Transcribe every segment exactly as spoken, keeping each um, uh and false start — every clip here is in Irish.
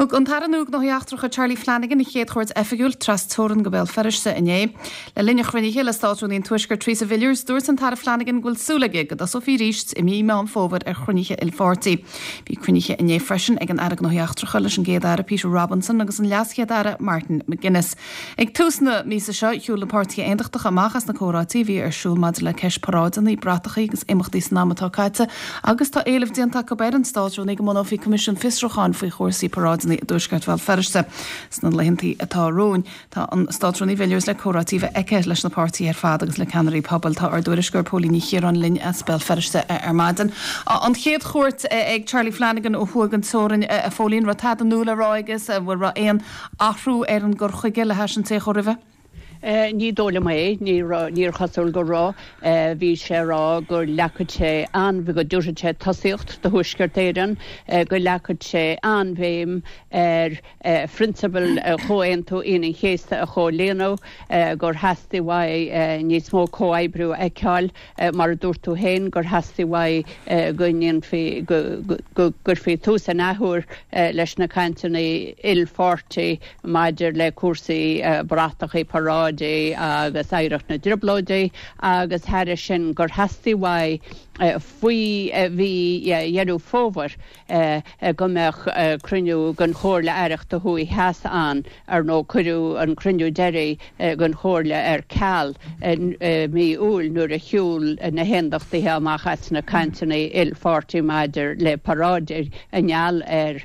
Thug an tAire nua Gnóthaí Eachtracha Charlie Flanagan a chéad chuairt oifigiúil trasteorann go Béal Feirste inné. Le linn a chruinnithe le Státrúnaí an Tuaiscirt Theresa Villiers dúirt an tAire Flanagan go bhfuil súil aige go dtosófaí arís i mí Meán Fómhair ar chruinnithe ilpháirtí. Bhí cruinnithe inné freisin ag an Aire Gnóthaí Eachtracha leis an gCéad Aire Peter Robinson agus an LeasChéad Aire Martin McGuinness. Ag tús na míosa seo shiúil na páirtithe aontachtacha amach as na comhráití a bhí ar siúl maidir le ceist paráideanna, bratacha agus imeachtaí san am atá caite, agus tá éileamh déanta acu ar an Státrúnaí go mbunófaí Coimisiún Fiosrúcháin faoi chúrsaí paráideanna i dTuaisceart Bhéal Feirste sna laethanta atá romhainn. Tá an Státrúnaí Villiers le comhráití a bheith aici leis na páirtithe ar fad agus le ceannairí pobail tá ár dtuairisceoir Póilín Ní Chiaráin linn as Béal Feirste ar maidin. An chéad chuairt ag Charlie Flanagan ó thuaidh den teorainn a Phóilín raibh tada nua le rá aige bhfuil raibh aon athrú ar an gcur chuige le hais an té chuaigh roimhe. Ní dóigh liom é níor chosúil go raibh bhí sé rá go leagfadh sé an go dtabharfadh sé tosaíocht do Thuaisceart Éireann go leagfadh sé an-bhéim ar phrionsabail Chomhaontú Aoine an Chéasta a chomhlíonadh gur theastaigh uaidh níos mó comhoibriú a fheiceáil mar a dúirt tú féin gur theastaigh uaidh go ndéanfaí go gcuirfí tús an athuair leis na cainteanna ilpháirtí maidir le cúrsaí bratacha paráidí agus oidhreacht na dTrioblóidí agus thairis sin gur theastaigh uaidh faoi mhí Dheireadh Fómhair go mbeadh cruinniú den Chomhairle Aireachta Thuaidh Theas ann ar ndóigh cuireadh an cruinniú deiridh den Chomhairle ar ceal mí Iúil nuair a shiúil na haontachtaithe amach as na cainteanna ilpháirtí maidir le paráidí i ngeall ar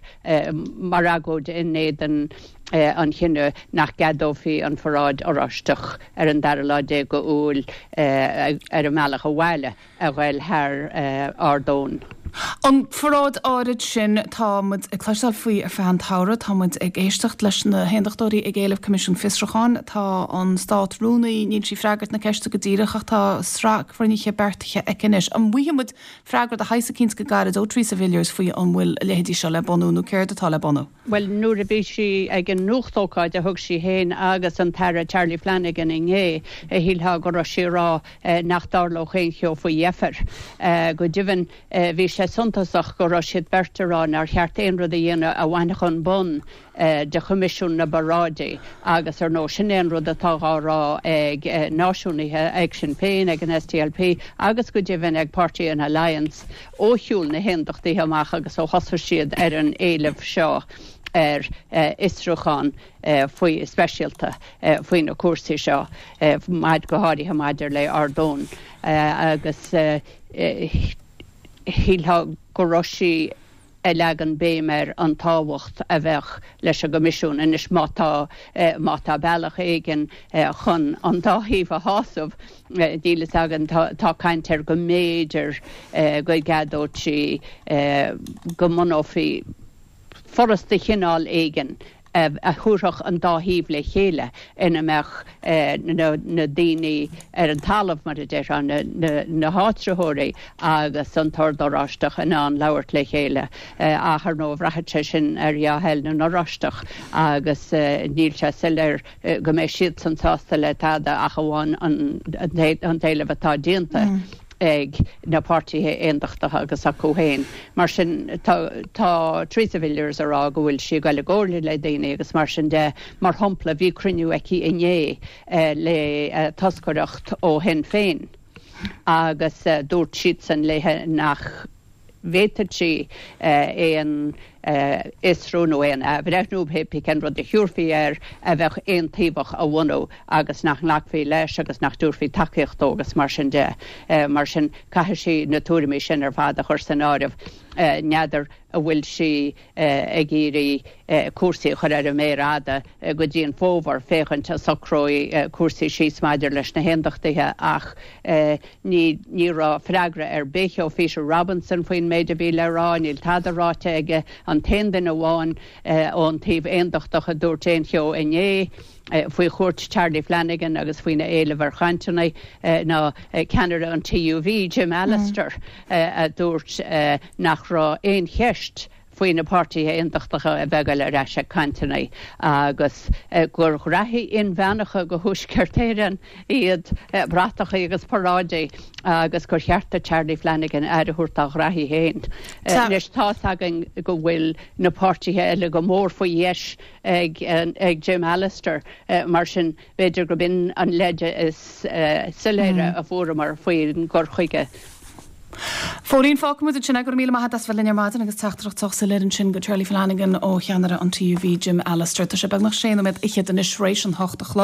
mar agóid in éadan an chinneadh nach gceadófaí an pharáid Oráisteach ar an dara lá déag d'Iúil ar an mbealach abhaile a ghabháil thar Ard Eoin. An pharáid áirid sin tá muid ag cloisteáil faoi ar feadh an tsamhraidh, tá muid ag éisteacht leis na haontachtóirí ag éileamh Coimisiún Fiosrúcháin, tá an stát rúnaí níl sí ag freagairt na ceiste go díreach ach tá sraith cruinnithe beartaithe aici anois. An bhfaighidh muid freagra de shaghas eicínt go gairid ó Theresa Villiers faoi an bhfuil a leithéidí seo le bunú nó céard atá le bunú. Well nuair a bhí sí ag an nuachtócáid a thug sí féin agus an tAire Charlie Flanagan inné shílfeá go raibh sí ag rá nach dtarlódh aon cheo faoi dheifir. Go deimhin bhí sé suntasach go raibh siad beirt ag rá nár cheart aon rud a dhéanamh a bhainfeadh an bonn de Choimisiún na bParáidí agus ar ndóigh sin é an rud atá á rá ag náisiúnaithe ag Sinn Féin ag an SDLP agus go deimhin ag Páirtí an Alliance ó shiúil na haontachtaithe amach agus ó thosaigh siad ar an éileamh seo ar fhiosrúchán faoi speisialta faoi na cúrsaí seo maid go háirithe maidir le Ard Eoin agus shílfeá go raibh sí ag leagan béim ar an tábhacht a bheadh leis an gCoimisiún anois má tá má tá bealach éigin chun an dá thaobh a shásamh níl a fhios againn tá caint ar go mb'fhéidir go gceadódh sí go mbunófaí foras de chineál éigin a thabharfadh an dá thaobh le chéile ina mbeadh na daoine ar an talamh mar a déarfá na háitritheoirí agus an tOrd Oráisteach in ann labhairt le chéile ach ar ndóigh bhraithfeadh sé sin ar dhea-thoil na nOráisteach agus níl sé soiléir go mbeidh siadsan sásta le tada ach amháin an t-éileamh atá déanta. ag na páirtithe aontachtacha agus acu féin. Mar sin tá, tá Theresa Villiers ag rá go bhfuil sí ag dul i gcomhairle le daoine agus mar sin de mar shampla bhí cruinniú aici inné le toscaireacht ó Shinn Féin agus dúirt siadsan léi nach bhféadfadh sí aon fhiosrú nó aon athbhreithniú pé cén rud a thabharfaí air a bheadh aontaobhach a bhunú agus nach nglacfaí leis agus nach dtabharfaí tacaíocht dó agus mar sin de. Mar sin caithfidh sí na tuairimí sin ar fad a chur san áireamh. N'fheadar an bhfuil sí ag iarraidh cúrsaí a chur ar an méar fhada go dtí an fómhar féachaint an socróidh cúrsaí síos maidir leis na haontachtaithe ach ní ní raibh freagra ar bith ó Peter Robinson faoin méid a bhí le rá, níl tada ráite aige an t-aon duine amháin ón taobh aontachtach a dúirt aon cheo inné faoi chuairt Charlie Flanagan agus faoina éileamh ar chainteanna ná ceannaire an TUV Jim Allister a dúirt nach raibh aon cheist faoi na páirtithe aontachtacha a bheith ag dul ar ais ag cainteanna agus gur ghraithí inmheánacha do Thuaisceart Éireann iad bratacha agus paráidí agus gur cheart do Charlie Flanagan aire a thabhairt dá ghraithí féin. Anois tá's againn go bhfuil na páirtithe eile go mór faoi dheis ag ag Jim Allister mar sin b'fhéidir gurb in an leide is soiléire a fuaireamar faoin gcur chuige. Phóilín, fágfaidh muid ansin é, go raibh míle maith agat as bheith linn ar maidin agus teachtaireacht sách soiléir ansin go Charlie Flanagan ó cheannaire an TUV Jim Allister. Tá sé beagnach sé nóiméad fhichead anois tar éis an hocht a chlog.